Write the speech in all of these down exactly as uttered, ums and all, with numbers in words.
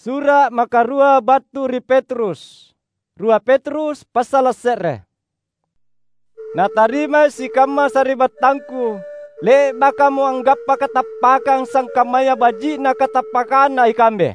Sura’ makarua battu ri Petrus. Rua Petrus passala’ se're. Natarimai sikamma sari'battangku, le'bakamo anggappa katappakang sangkammaya baji'na katappakanna ikambe.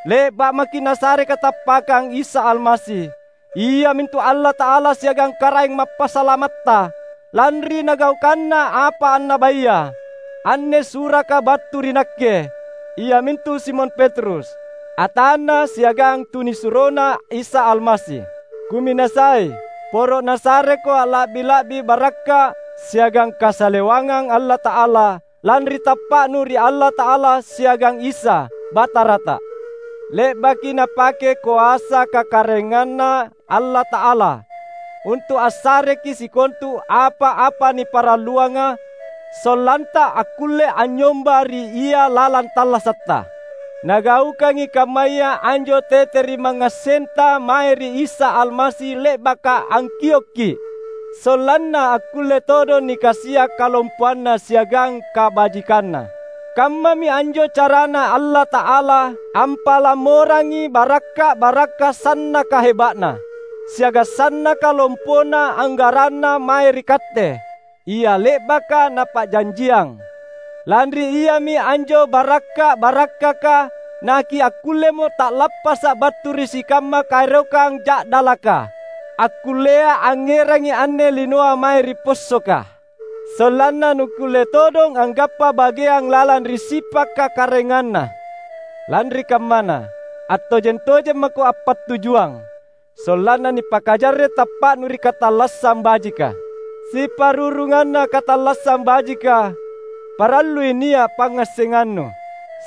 Le'ba’ maki’ Nasare katappakang Isa Almasi, iamintu Allata'ala siagang Karaeng Mappasalamatta, lanri nagaukanna apa annabaya. Anne suraka battu ri nakke, iamintu Simon Petrus, atanNa siagang tunisuroNa Isa Almasi. Kuminasai, poro’ nasareko a'la'bi-la'bi barakka’ siagang kasalewangang Allata'ala, lanri tappa'nu ri Allata'ala siagang Isa, Batarata. Le'baki Napake koasa kakaraenganNa Allata'ala untu’ assareki sikontu apa-apa niparalluanga, sollanta akkulle anynyomba ri Ia lalang tallasatta. Nagaukangi kammaya anjo tete ri mangngassenta mae ri Isa Almasi le'baka angkiokki’, sollanna akkulle todong nikasia’ kalompoanNa siagang kabajikanNa. Kammami anjo carana Allata'ala ampalamorangi barakka’-barakka’ sannaka heba'Na, siagang sannaka lompona anggaranNa mae ri katte, ia le'baka Napa'janjiang. Lanri iami anjo barakka’-barakkaka nakiakkullemo ta'lappasa’ battu ri sikamma kaerokang ja'dalaka, akkullea angngerangi anne linoa mae ri possoka. Sollanna nukkulle todong anggappa bageang lalang ri sipa’ kakaraenganna. Lanri kammana, attojeng-tojeng mako appattujuang, sollanna nipakajarre’ tappa'nu ri katallassang bajika. Siparurunganna katallassang bajika, parallui nia’ pangngassengannu.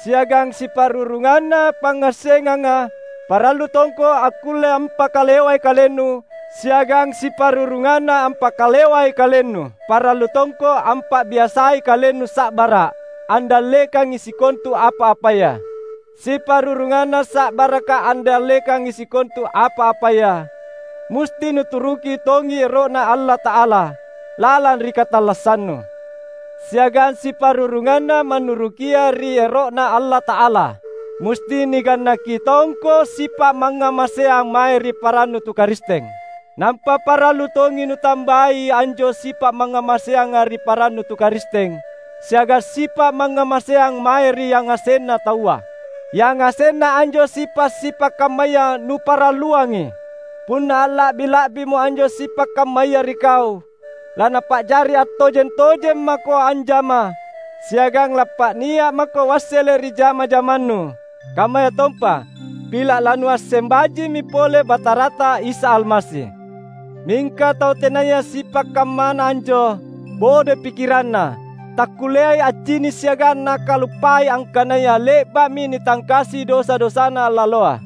Siagang siparurunganna pangngassenganga, parallu tongko akkulle ampakalewai kalennu, siagang siparurunganna ampakalewai kalennu, parallu tongko ampa'biasai kalennu sa'bara’ andallekangi sikontu apa-apaya. Siparurunganna sa'baraka andallekangi sikontu apa-apaya, musti nuturuki tongi ero'Na Allata'ala lalang ri katallassannu. Siagang siparurunganna mannurukia ri ero'Na Allata'ala, musti nigannaki tongko sipa’ mangngamaseang mae ri parannu tu Karisteng. Nampa parallu tongi nutambai anjo sipa’ mangngamaseanga ri parannu tu Karisteng, siagang sipa’ mangngamaseang mae ri yangasenna taua. Yangasenna anjo sipa’-sipa’ kammaya nuparalluangi. Punna a'la'bi-la'bimo anjo sipa’ kammaya ri kau, lanapa'jari attojeng-tojeng mako anjama, siagang lappa'nia’ mako wassele’ ri jama-jamannu. Kammayatompa, pila’ lanuasseng bajimi pole Batarata Isa Almasi. Mingka tau tenaya sipa’ kammana anjo, bodoi pikiranna, takkulleai accini’ siagang nakaluppai angkanaya le'ba'mi nitangkasi dosa-dosana laloa.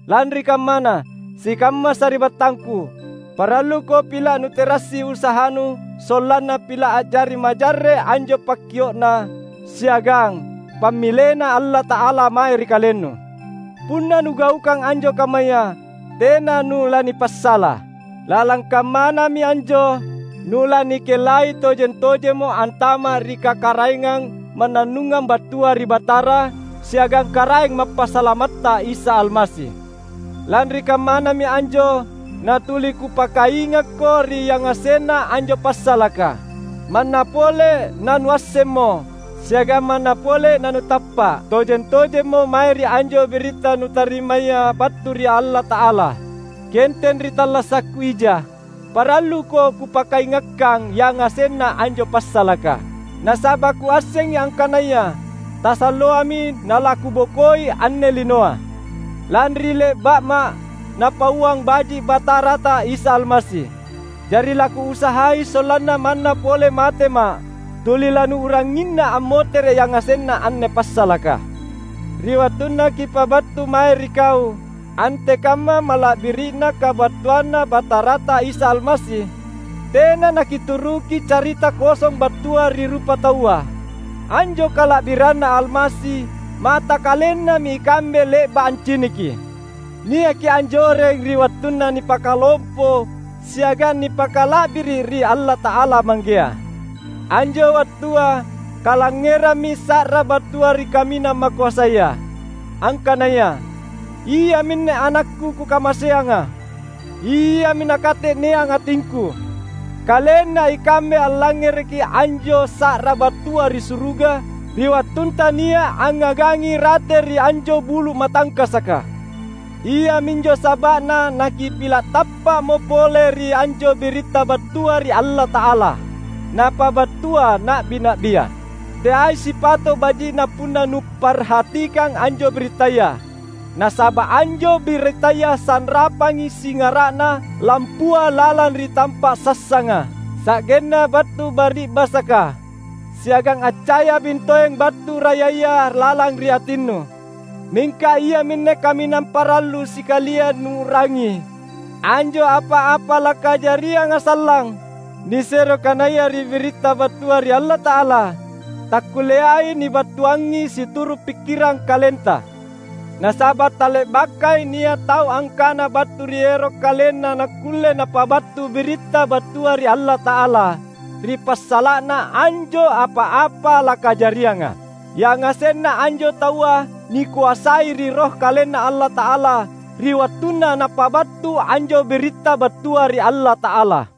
Lanri kammana, sikamma sari'battangku, paralluko pila’ nuterassi usahanu sollanna pila’ a'jari majarre’ anjo pakkio'na siagang pammilena Allata'ala mae ri kalennu. Punna nugaukang anjo kammaya, tena nulanipassala. Lalang kammanami anjo, nulanikellai tojeng-tojemmo antama’ ri kakaraengang mannannungang battua ri Batara siagang Karaeng Mappasalamatta Isa Almasi. Lanri kammanami anjo natuli kupakaingakko ri yangasenna anjo passalaka. Manna pole nanuassemmo, siagang manna pole nanutappa’ tojeng-tojemmo mae ri anjo biritta nutarimaya battu ri Allata'ala. Kienteng ri tallasakku ija, paralluko kupakaingakkang yangasenna anjo passalaka. Nasaba’ kuassengi angkanaya tasalloami nalakubokoi anne linoa, lanri le'ba'ma’ Napauang baji’ Batarata Isa Almasi. Jari lakuusahai sollanna manna pole matema’, tuli lanuu'ranginna ammotere’ yangasenna anne passalaka. Ri wattunna kipabattu mae ri kau antekamma mala'biri'na kabattuanNa Batarata Isa Almasi, tena nakituruki carita kosong battua ri rupataua. Anjo kala'biranNa Almasi mata kalennami ikambe le'ba’ anciniki. Niaki anjoreng ri wattunna nipakalompo siagang nipakala'biri’ ri Allata'ala Manggea. Anjo wattua kalangngerammi sa'ra battua ri Kaminang Makoasaya, angkanaya, Iaminne AnakKu Kukamaseanga. Iami Nakate'neang atingKu. Kalenna ikambe allangngereki anjo sa'ra battua ri suruga, ri wattunta nia’ angngagangi rate ri anjo bulu’ matangkasaka. Iaminjo saba'na nakipila’ tappa'mo pole ri anjo biritta battua ri Allata'ala, napabattua na'bi-na'bia. Teai sipato’ baji'na punna nuparhatikang anjo birittaya. Nasaba’ anjo birittaya sanrapangi singara'na lampua lalang ri tampa’ sassanga, sa'genna battu bari'basaka, siagang accayabing toeng battu rayaya lalang ri atinnu. Mingka iaminne kaminang parallu sikalia nuu'rangi: anjo apa-apa lakajarianga sallang nisero kanaya ri biritta battua ri Allata'ala, takkulleai nibattuangi situru’ pikkirang kalenta. Nasaba’ tale'bakai nia’ tau angkana battu ri ero’ kalenna nakkulle napabattu biritta battua ri Allata'ala ri passala'na anjo apa-apa lakajarianga. Yangasenna anjo taua nikoasai ri Roh KalenNa Allata'ala ri wattunna napabattu anjo biritta battua ri Allata'ala.